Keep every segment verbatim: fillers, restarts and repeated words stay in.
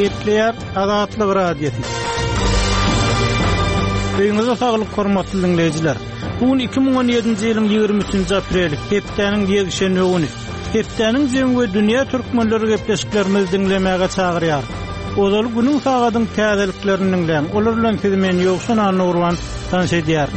Gepleýär Azatlyk Radiosy. Öýüňize saglyk hormatly dinleýjiler. Bu gün iki müň on ýedinji ýylyň ýigrimi üçünji apreli, hepdäniň ýekşenbe güni. Hepdäniň jemi we dünýä türkmenleri gepleşiklerimizi diňlemäge çagyrýar. Ozal günüň sagadyň täzeliklerini diňläň. Olar bilen sizi men Ýowşan Annagurban tanyş edýär.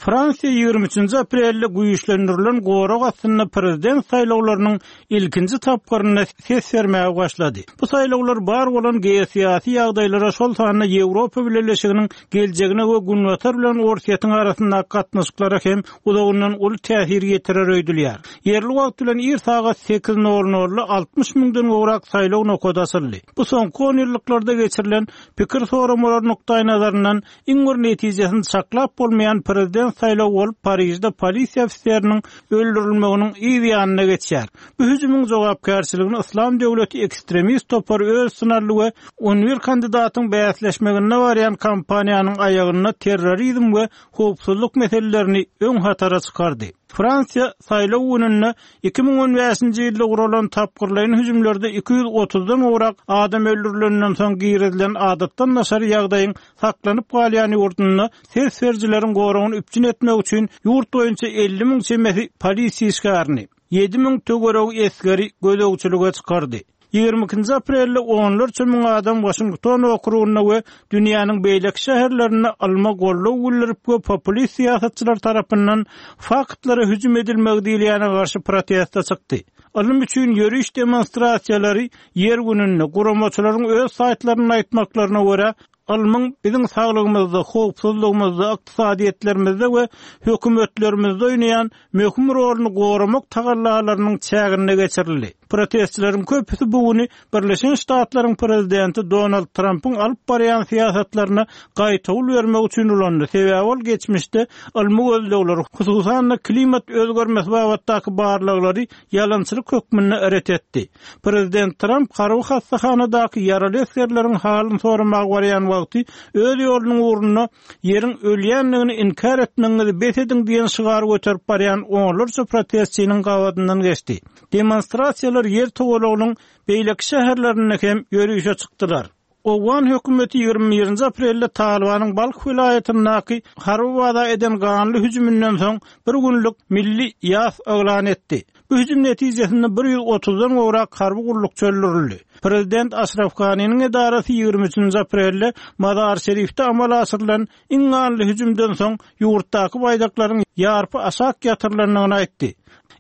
Fransiýa ýigrimi üçünji aprelde güýçlendirilen gorag astynda prezident saýlawlarynyň ilkinji tapgyrynda ses bermäge başlady. Bu saýlawlar bar bolan geosyýasy ýagdaýlara, şol sanda Ýewropa Bileleşiginiň geljegine we Günbatar bilen Orsýetiň arasyndaky gatnaşyklara hem uzagyndan uly täsir ýetirer öýdülýär. Ýerli wagt bilen ir sagat sekiz nol nolda altmyş müňden gowrak saýlaw nokady açyldy. Bu soňky on ýyllyklarda geçirilen pikir soramalar nukdaý nazaryndan iň bir netijesini saklap bolmaýan prezident saýlawy bolup Parijde polisiýa ofiseriniň öldürilmeginiň yz ýanyna geçýär. Bu hüjümiň jogapkärçiligini Islam döwleti ekstremist topary öz üstüne aldy we on bir kandidatyň bäsleşmeginde barýan kampaniýanyň aýagynda terrorizm we howpsuzlyk meselelerini öň hatara çykardy. Fransiýa saýlaw gününde iki müň on bäşinji ýylda guralan tapgyrlaýyn hüjümlerde iki ýüz otuzdan gowrak adam öldürilenden soň girizilen adatdan daşary ýagdaýyň saklanyp galýan ýurdunda ses berijileriň goragyny üpjün etmek üçin ýurt boýunça elli müň çemesi polisiýa işgärini, ýedi müň töweregi esgeri gözegçilige çykardy. Ýigrimi ikinji aprelde onlarça müň adam Washington okrugynda we dünýäniň beýleki şäherlerinde ylma goldaw bildirip we populist syýasatçylar tarapyndan faktlara hüjüm edilmegi diýilýäne garşy proteste çykdy. Ylym üçin ýöriş demonstrasiýalary ýer gününde guramaçylaryň öz saýtlarynda aýtmaklaryna görä ylmyň biziň saglygymyzda, howpsuzlygymyzda, ykdysadyýetlerimizde we hökümetlerimizde oýnaýan möhüm roluny goramak tagallalarynyň çäginde geçirildi. Protestçileriň köpüsi bu güni Birleşen Ştatlaryň prezidenti Donald Trumpyň alyp barýan syýasatlaryna gaýtawul bermek üçin ulandy. Sebäbi ol geçmişde ylmy gözlegleri, hususan-da klimat özgermesi babatdaky barlaglary ýalançylyk hökmünde ret etdi. Prezident Trump harby hastahanadaky ýaraly esgerleriň halyny soramaga barýan wagty öz ýolunyň ugrunda ýeriň ölýändigini inkar etmegiňizi bes ediň diýen şygary göterip barýan onlarça protestçiniň gabadyndan geçdi. Demonstrasiýalar ýer towalagynyň beýleki şäherlerinde hem ýörişe çykdylar. Owgan hökümeti ýigrimi birinji aprelde Talibanyň Balh welaýatyndaky harby baza eden ganly hüjüminden soň bir günlük milli ýas yglan etdi. Bu hüjüm netijesinde bir ýüz otuzdan gowrak harby gullukçy öldürildi. Prezident Aşraf Ganiniň edarasy ýigrimi üçünji aprelde Mazar Şerifde amala aşyrylan iň ganly hüjümden soň ýurtdaky baýdaklaryň ýarpy aşak ýatyrylandygyny aýtdy.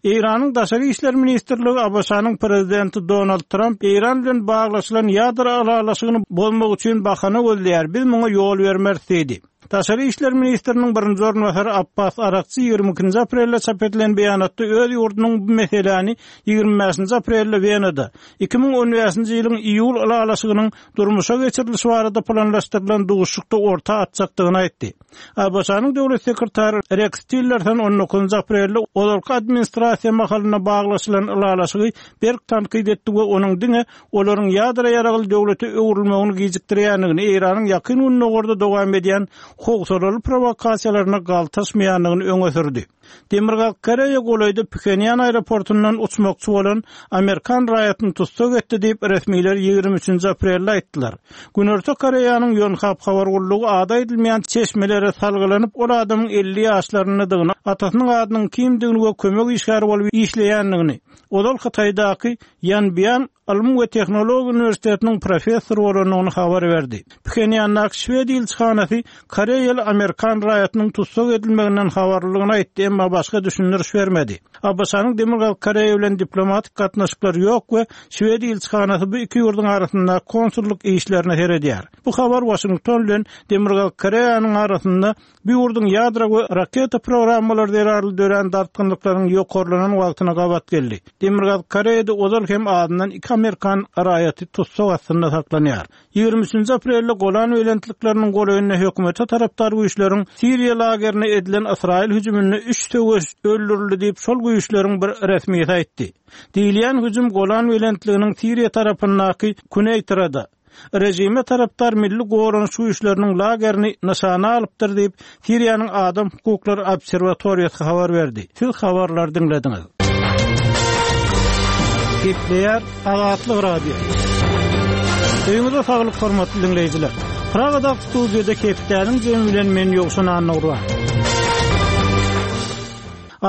Eýranyň Daşary İşler Ministrligi A B Ş-nyň prezidenti Donald Trump Eýran bilen baglaşylan ýadro ylalaşygyny bozmak üçin bahana gözleýär. Biz muňa ýol bermeris diýdi. Daşary İşler Ministriniň birinji orunbasary Abbas Arakçy ýigrimi ikinji aprelde çap edilen beýanatda öz ýurdunyň bu meseläni ýigrimi bäşinji aprelde Wenada iki müň on bäşinji ýylyň iýul ylalaşygynyň durmuşa geçirilişi barada planlaşdyrylan duşuşykda orta atjakdygyny aýtdy. A B Ş-nyň döwlet sekretary Rex Tillerson on dokuzynjy aprelde ozalky administrasiýa mahalynda baglaşylan ylalaşygy berk tankyt etdi we onuň diňe olaryň ýadro ýaragly döwlete öwrülmegini gijikdirýändigini, Eýranyň ýakyn gündogarda dowam edýän howsalaly provokasiýalaryna galtaşmaýandygyny öňe sürdi. Demirgazyk Koreýa golaýda Phenýan aeroportundan uçmakçy bolan Amerikan raýatyny tussag etdi diýip resmiler ýigrimi üçünji aprelde aýtdylar. Günorta Koreýanyň Yonhap habar gullugy ady aýdylmaýan çeşmelere salgylanyp, ol adamyň elli ýaşlaryndadygyny, atasynyň adynyň kimdigini we kömek işgäri bolup işleýändigini, ozal Hytaýdaky Ýanbian Ylym we Tehnologiýa Uniwersitetiniň professory bolandygyny habar berdi. Phenýandaky Şwed ilçihanasy Koreýaly Amerikan raýatynyň tussag edilmeginden habarlydygyny aýtdy, emma başga düşündiriş bermedi. A B Ş-nyň Demirgazyk Koreýa bilen diplomatik gatnaşyklary ýok we Şwed ilçihanasy bu iki ýurduň arasynda konsullyk işlerine seredýär. Bu habar Washington bilen Demirgazyk Koreýanyň arasynda bu ýurduň ýadro we raketa programmalary zerarly dörän dartgynlyklaryň ýokarlanan wagtyna gabat geldi. Demirgazyk Koreýada ozal hem azyndan iki Amerikan raýaty tussag astynda saklanýar. Ýigrimi üçünji aprelde Golan belentlikleriniň golaýynda hökümete tarapdar güýçleriň Siriýa lagerine edilen Ysraýyl hüjüminde üç söweş öldürildi diýip şol güýçleriň bir resmisi aýtdy. Diýilýän hüjüm Golan belentliginiň Siriýa tarapyndaky Kuneýtrada rejime tarapdar milli goranyş güýçleriniň lagerini nyşana alypdyr diýip Siriýanyň Adam Hukuklary Obserwatoriýasy habar berdi. Siz habarlary diňlediňiz. Gepleýär Azatlyk Radiosy. Öýüňize saglyk hormatly diňleýjiler. Pragadaky studiýada hepdäniň jemi bilen men Ýowşan Annagurban.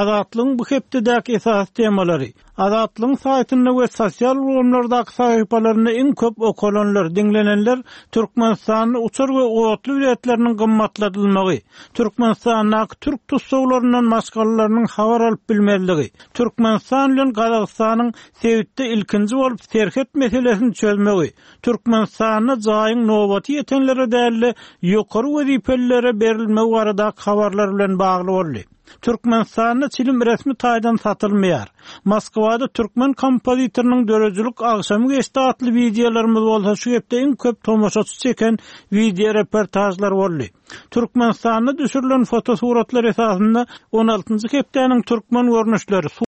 Azatlygyň bu hepdedäki esasy temalary Azatlygyň saýtynda we sosial ulgamlardaky sahypalarynda iň köp okalanlar, diňlenenler Türkmenistanda uçar we otly biletleriniň gymmatladylmagy, Türkmenistandaky türk tussaglaryndan maşgalalarynyň habar alyp bilmezligi, Türkmenistan bilen Gazagystanyň sebitde ilkinji bolup serhet meselesini çözmegi, Türkmenistanda jaýyň nobaty ýetenlere däl-de, ýokary wezipelilere berilmegi baradaky habarlar bilen bagly boldy. Türkmenistanda çilim resmi taýdan satylmaýar. Moskwada türkmen kompozitorynyň döredijilik agşamy geçdi atly wideolarymyz bolsa şu hepde iň köp tomaşaçy çeken wideo reportažlar boldy. Türkmenistanda düşürilen fotosuratlar esasynda on altynjy hepdäniň türkmen görnüşleri,